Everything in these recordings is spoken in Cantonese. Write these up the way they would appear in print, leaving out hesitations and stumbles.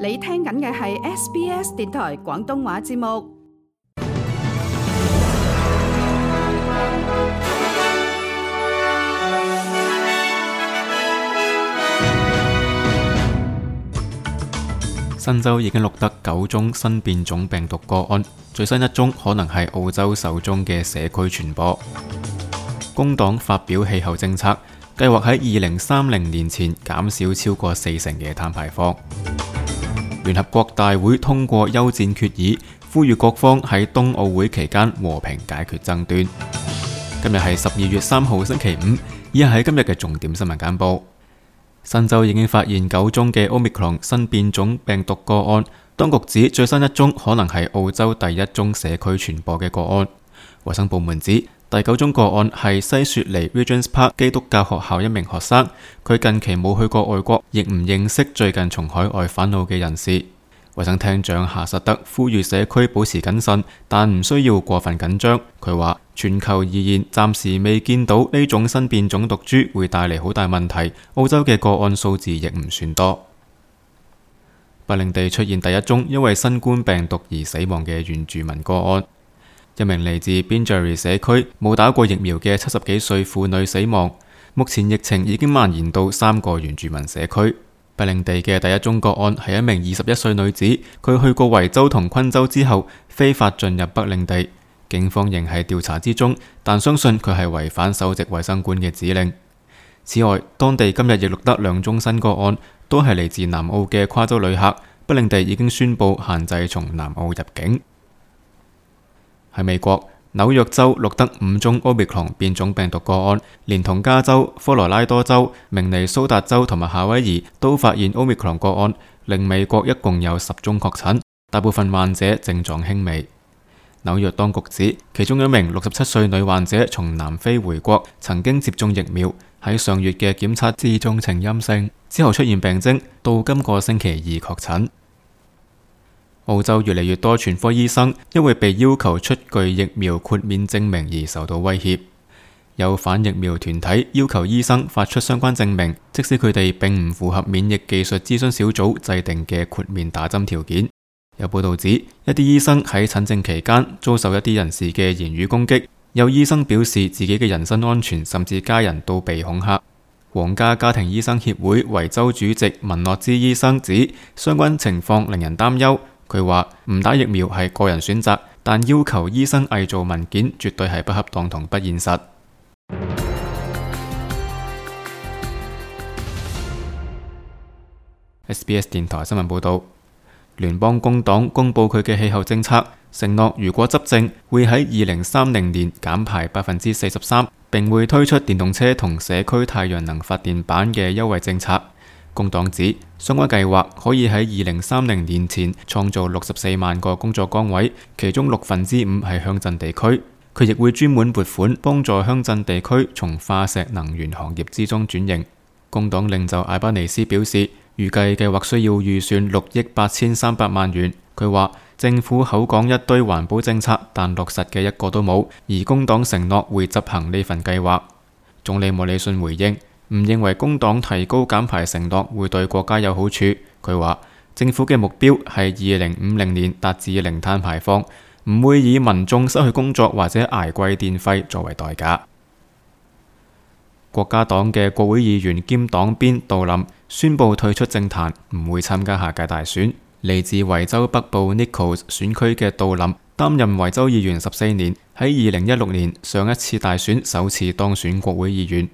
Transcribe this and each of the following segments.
你聽緊嘅係 SBS 電台廣東話節目。新州已經錄得9宗新變種病毒個案，最新一宗可能係澳洲首宗嘅社區傳播。工黨發表氣候政策，計劃喺2030年前減少超過40%嘅碳排放。聯合國大會通過休戰決議，呼籲各方喺冬奧會期間和平解決爭端。今日係12月3號星期五，以下係今日嘅重點新聞簡報。新州已經發現9宗嘅 Omicron 新變種病毒個案，當局指最新一宗可能係澳洲第一宗社區傳播嘅個案。衛生部門指第9宗個案係西雪梨 Regents Park 基督教學校一名學生，佢近期冇去過外國，亦唔認識最近從海外返澳嘅人士。衛生廳長夏實德呼籲社區保持謹慎，但唔需要過分緊張。佢話全球而言，暫時未見到呢種新變種毒株會帶嚟好大問題。澳洲嘅個案數字亦唔算多。北領地出現第一宗因為新冠病毒而死亡嘅原住民個案，一名嚟自 Binjari 社區冇打過疫苗嘅70幾歲婦女死亡。目前疫情已經蔓延到3個原住民社區。北領地嘅第一宗個案係一名21歲女子，佢去過維州同昆州之後非法進入北領地，警方仍喺調查之中，但相信佢係違反首席衛生官嘅指令。此外，當地今日亦錄得2宗新個案，都係嚟自南澳嘅跨州旅客。北領地已經宣布限制從南澳入境。喺美國，紐約州錄得5宗 Omicron 變種病毒個案，連同加州、科羅拉多州、明尼蘇達州同埋夏威夷都發現 Omicron 個案，令美國一共有10宗確診，大部分患者症狀輕微。紐約當局指，其中一名67歲女患者從南非回國，曾經接種疫苗，喺上月嘅檢測之中呈陰性，之後出現病徵，到今個星期2確診。澳洲越嚟越多全科醫生因為被要求出具疫苗豁免證明而受到威脅，有反疫苗團體要求醫生發出相關證明，即使佢哋並唔符合免疫技術諮詢小組制定嘅豁免打針條件。有報道指，一啲醫生喺診症期間遭受一啲人士嘅言語攻擊，有醫生表示自己嘅人身安全甚至家人都被恐嚇。皇家家庭醫生協會維州主席文諾茲醫生指，相關情況令人擔憂。佢話唔打疫苗係個人選擇，但要求醫生偽造文件絕對係不恰當同不現實。SBS 電台新聞報道，聯邦工黨公布佢嘅氣候政策，承諾如果執政，會喺2030年減排43%，並會推出電動車同社區太陽能發電板嘅優惠政策。工黨指相關計劃可以喺2030年前創造64萬個工作崗位，其中5%係鄉鎮地區。佢亦會專門撥款幫助鄉鎮地區從化石能源行業之中轉型。工黨領袖艾巴尼斯表示，預計計劃需要預算6億8300萬元。佢話政府口講一堆環保政策，但落實嘅一個都冇，而工黨承諾會執行呢份計劃。總理莫里遜回應，唔認為工黨提高減排承諾會對國家有好處。佢話政府嘅目標係2050年達至零碳排放，唔會以民眾失去工作或者捱貴電費作為代價。國家黨嘅國會議員兼黨鞭杜林宣布退出政壇，唔會參加下屆大選。嚟自維州北部 Nichols 選區嘅杜林擔任維州議員14年，喺2016年上一次大選首次當選國會議員。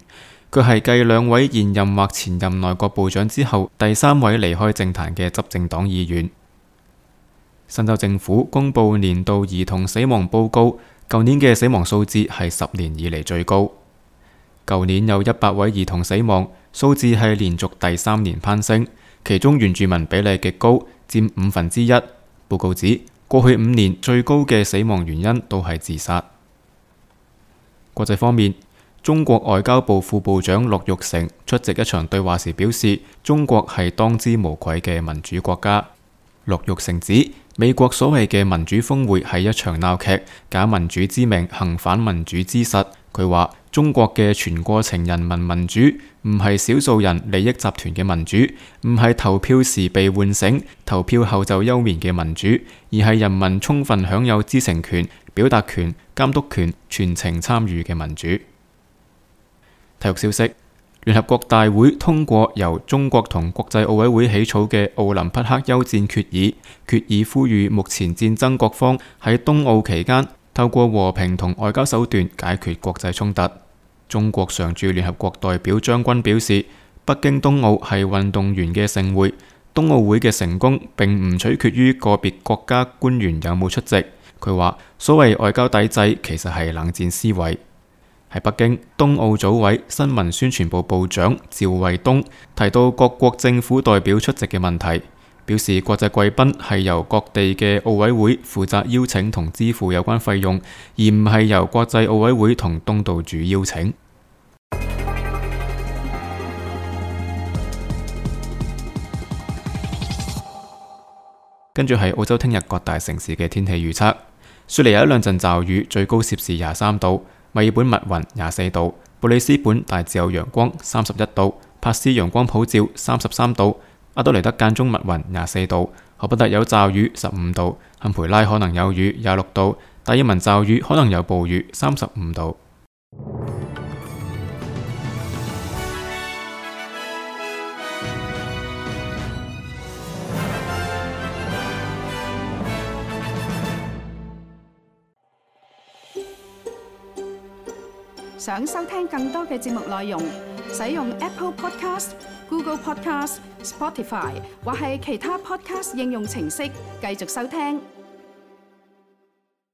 佢係繼2位現任或前任內閣部長之後第3位離開政壇嘅執政黨議員。新州政府公布年度兒童死亡報告，舊年嘅死亡數字係10年以嚟最高。舊年有100位兒童死亡，數字係連續第3年攀升，其中原住民比例極高，佔1/5。報告指過去5年最高嘅死亡原因都係自殺。國際方面，中國外交部副部長駱玉成出席一場對話時表示，中國係當之無愧嘅民主國家。駱玉成指，美國所謂嘅民主峰會係一場鬧劇，假民主之名，行反民主之實。佢話中國嘅全過程人民民主唔係少數人利益集團嘅民主，唔係投票時被喚醒，投票後就休眠嘅民主，而係人民充分享有知情權、表達權、監督權、全程參與嘅民主。體育消息：聯合國大會通過由中國同國際奧委會起草嘅奧林匹克休戰決議，決議呼籲目前戰爭各方喺冬奧期間透過和平同外交手段解決國際衝突。中國常駐聯合國代表張軍表示，北京冬奧係運動員嘅盛會，冬奧會嘅成功並唔取決於個別國家官員有冇出席。佢話，所謂外交抵制其實係冷戰思維。喺北京，冬奧組委新聞宣傳部部長趙衛東提到各國政府代表出席嘅問題，表示國際貴賓係由各地嘅奧委會負責邀請同支付有關費用，而唔係由國際奧委會同東道主邀請。跟住係澳洲聽日各大城市嘅天氣預測：雪梨有一兩陣驟雨，最高攝氏23度；墨爾本密雲24度；布里斯本大致有陽光31度；珀斯陽光普照33度；阿德雷德間中密雲24度；荷伯特有驟雨15度；坎培拉可能有雨26度；達爾文驟雨可能有暴雨35度。想收聽更多嘅節目內容，使用 Apple Podcast、Google Podcast、Spotify 或係其他 Podcast 應用程式繼續收聽。